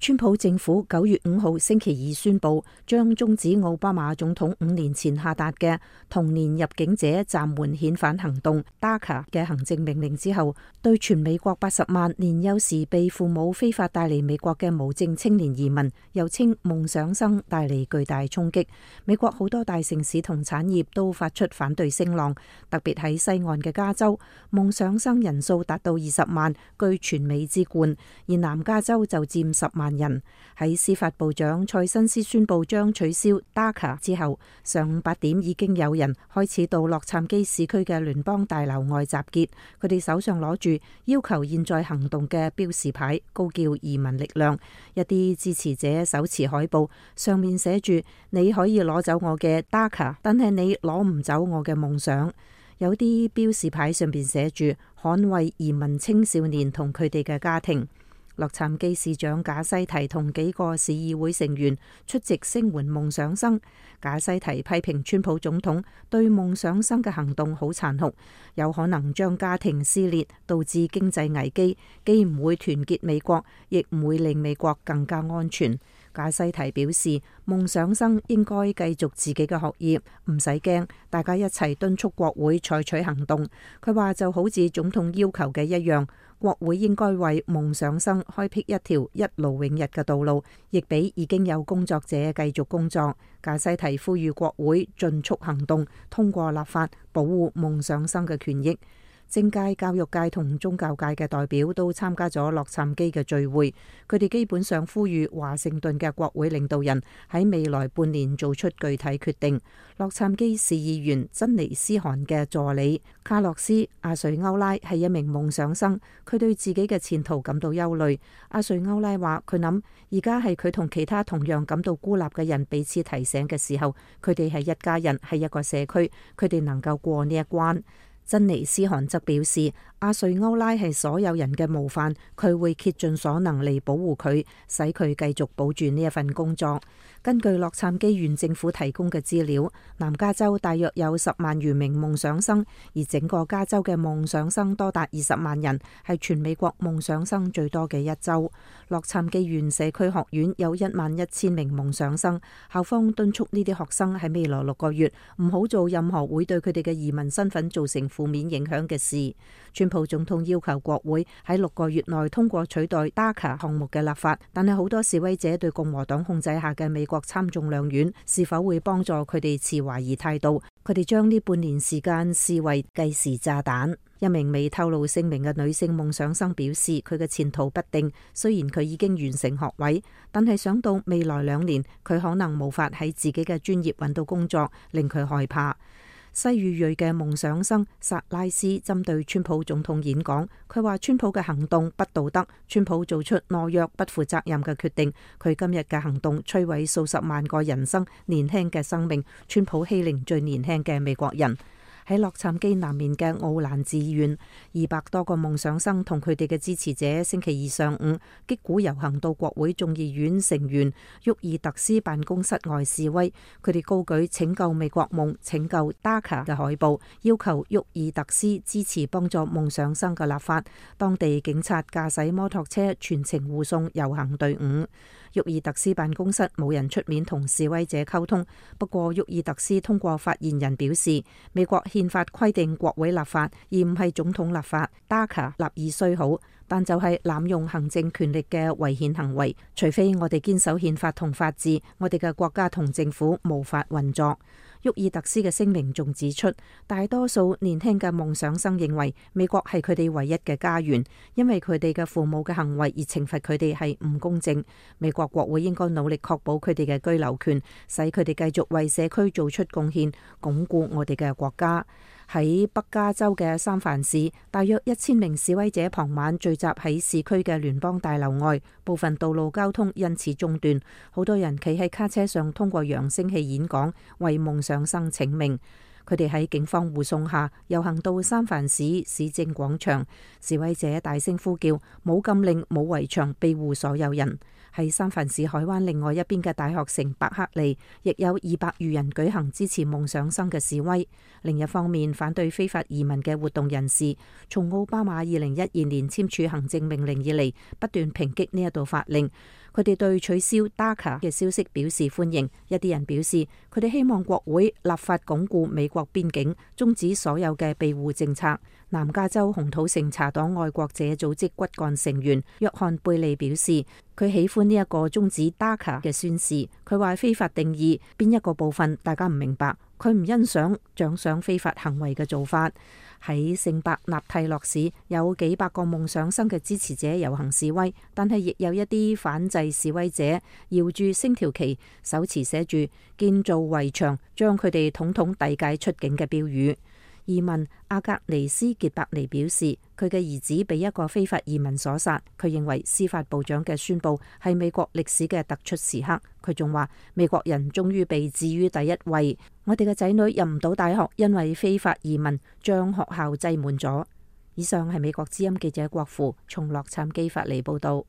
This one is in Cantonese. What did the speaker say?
川普政府9月5號星期二宣布，將終止奧巴馬總統5年前下達嘅童年入境者暫緩遣返行動 DACA 嘅行政命令之後，對全美國80萬年幼時被父母非法帶嚟美國嘅無證青年移民，又稱夢想生，帶嚟巨大衝擊。美國好多大城市同產業都發出反對聲浪，特別喺西岸嘅加州，夢想生人數達到20萬，居全美之冠，而南加州就佔10萬人。喺司法部長塞申斯宣布將取消 DACA 之後，上午8點已經有人開始到洛杉磯市區嘅聯邦大樓外集結，佢哋手上攞住要求現在行動嘅標示牌，高叫移民力量。一啲支持者手持海報，上面寫住你可以攞走我嘅 DACA， 但係你攞唔走我嘅夢想。有啲標示牌上邊寫住捍衛移民青少年同佢哋嘅家庭。洛杉磯市長賈西提同幾個市議會成員出席聲援夢想生。賈西提批評川普總統對夢想生嘅行動好殘酷，有可能將家庭撕裂，導致經濟危機，既唔會團結美國，亦唔會令美國更加安全。賈西提表示，夢想生應該繼續自己嘅學業，唔使驚，大家一齊敦促國會採取行動。佢話就好似總統要求嘅一樣，國會應該為夢想生開闢一條一勞永逸嘅道路，亦俾已經有工作者繼續工作。賈西提呼籲國會盡速行動，通過立法保護夢想生嘅權益。政界、教育界同宗教界嘅代表都參加咗洛杉磯嘅聚會，佢哋基本上呼籲華盛頓嘅國會領導人喺未來半年做出具體決定。洛杉磯市議員珍妮斯汗嘅助理卡洛斯·阿瑞歐拉係一名夢想生，佢對自己嘅前途感到憂慮。阿瑞歐拉話：佢諗而家係佢同其他同樣感到孤立嘅人彼此提醒嘅時候，佢哋係一家人，係一個社區，佢哋能夠過呢一關。珍妮斯汗則表示，阿瑞歐拉係所有人嘅模範，佢會竭盡所能嚟保護佢，使佢繼續保住呢一份工作。根據洛杉磯縣政府提供嘅資料，南加州大約有10萬餘名夢想生，而整個加州嘅夢想生多達20萬人，係全美國夢想生最多嘅一州。洛杉磯縣社區學院有11000名夢想生，校方敦促呢啲學生喺未來6個月唔好做任何會對佢哋嘅移民身份造成負面影響嘅事。川普總統要求國會喺6個月內通過取代 DACA 項目嘅立法，但係好多示威者對共和黨控制下嘅美國參眾兩院是否會幫助佢哋持懷疑態度。佢哋將呢半年時間視為計時炸彈。一名未透露姓名嘅女性夢想生表示，佢嘅前途不定，雖然佢已經完成學位，但係想到未來2年佢可能無法喺自己嘅專業揾到工作，令佢害怕。西裔嘅夢想生薩拉斯針對川普總統演講，佢話川普嘅行動不道德，川普做出懦弱不負責任嘅決定，佢今日嘅行動摧毀數十萬個人生，年輕嘅生命，川普欺凌最年輕嘅美國人。喺洛杉磯南面嘅奧蘭治縣，200多個夢想生同佢哋嘅支持者星期二上午擊鼓遊行到國會眾議院成員沃爾特斯辦公室外示威，佢哋高舉拯救美國夢、拯救 DACA 嘅海報，要求沃爾特斯支持幫助夢想生嘅立法。當地警察駕駛摩托車全程護送遊行隊伍。沃爾特斯辦公室冇人出面同示威者溝通，不過沃爾特斯通過發言人表示，美國憲法規定國會立法，而唔係總統立法。DACA 立意雖好，但就係濫用行政權力嘅違憲行為，除非我哋堅守憲法同法治，我哋嘅國家同政府無法運作。沃爾特斯嘅聲明仲指出，大多數年輕嘅夢想生認為美國係佢哋唯一嘅家園，因為佢哋嘅父母嘅行為而懲罰佢哋係唔公正。美國國會應該努力確保佢哋嘅居留權，使佢哋繼續為社區做出貢獻，鞏固我哋嘅國家。喺北加州嘅三藩市，大約1000名示威者傍晚聚集喺市區嘅聯邦大樓外，部分道路交通因此中斷，好多人企喺卡車上通過揚聲器演講，為夢想生請命。佢哋喺警方護送下遊行到三藩市市政廣場，示威者大聲呼叫冇禁令、冇圍牆，庇護所有人。喺三藩市海灣另外一邊嘅大學城伯克利，亦有200餘人舉行支持夢想生嘅示威。另一方面，反對非法移民嘅活動人士，從奧巴馬2012年簽署行政命令以嚟，不斷抨擊呢一道法令。佢哋對取消 DACA 嘅消息表示歡迎。一啲人表示，佢哋希望國會立法鞏固美國邊境，終止所有嘅庇護政策。南加州紅土城茶黨愛國者組織骨幹成員約翰貝利表示，佢喜歡呢一個終止 DACA 嘅宣示。佢話非法定義邊一個部分大家唔明白，佢唔欣賞獎賞非法行為嘅做法。喺聖伯納蒂諾市有幾百個夢想生嘅支持者遊行示威，但係亦有一啲反制示威者搖住星條旗，手持寫住建造圍牆將佢哋統統遞解出境嘅標語。移民阿格尼斯傑伯尼表示，佢嘅兒子被一個非法移民所殺。佢認為司法部長嘅宣佈係美國歷史嘅突出時刻。佢仲話，美國人終於被置於第一位。我哋嘅仔女入唔到大學，因為非法移民將學校擠滿咗。以上係美國之音記者郭芙從洛杉磯發嚟報道。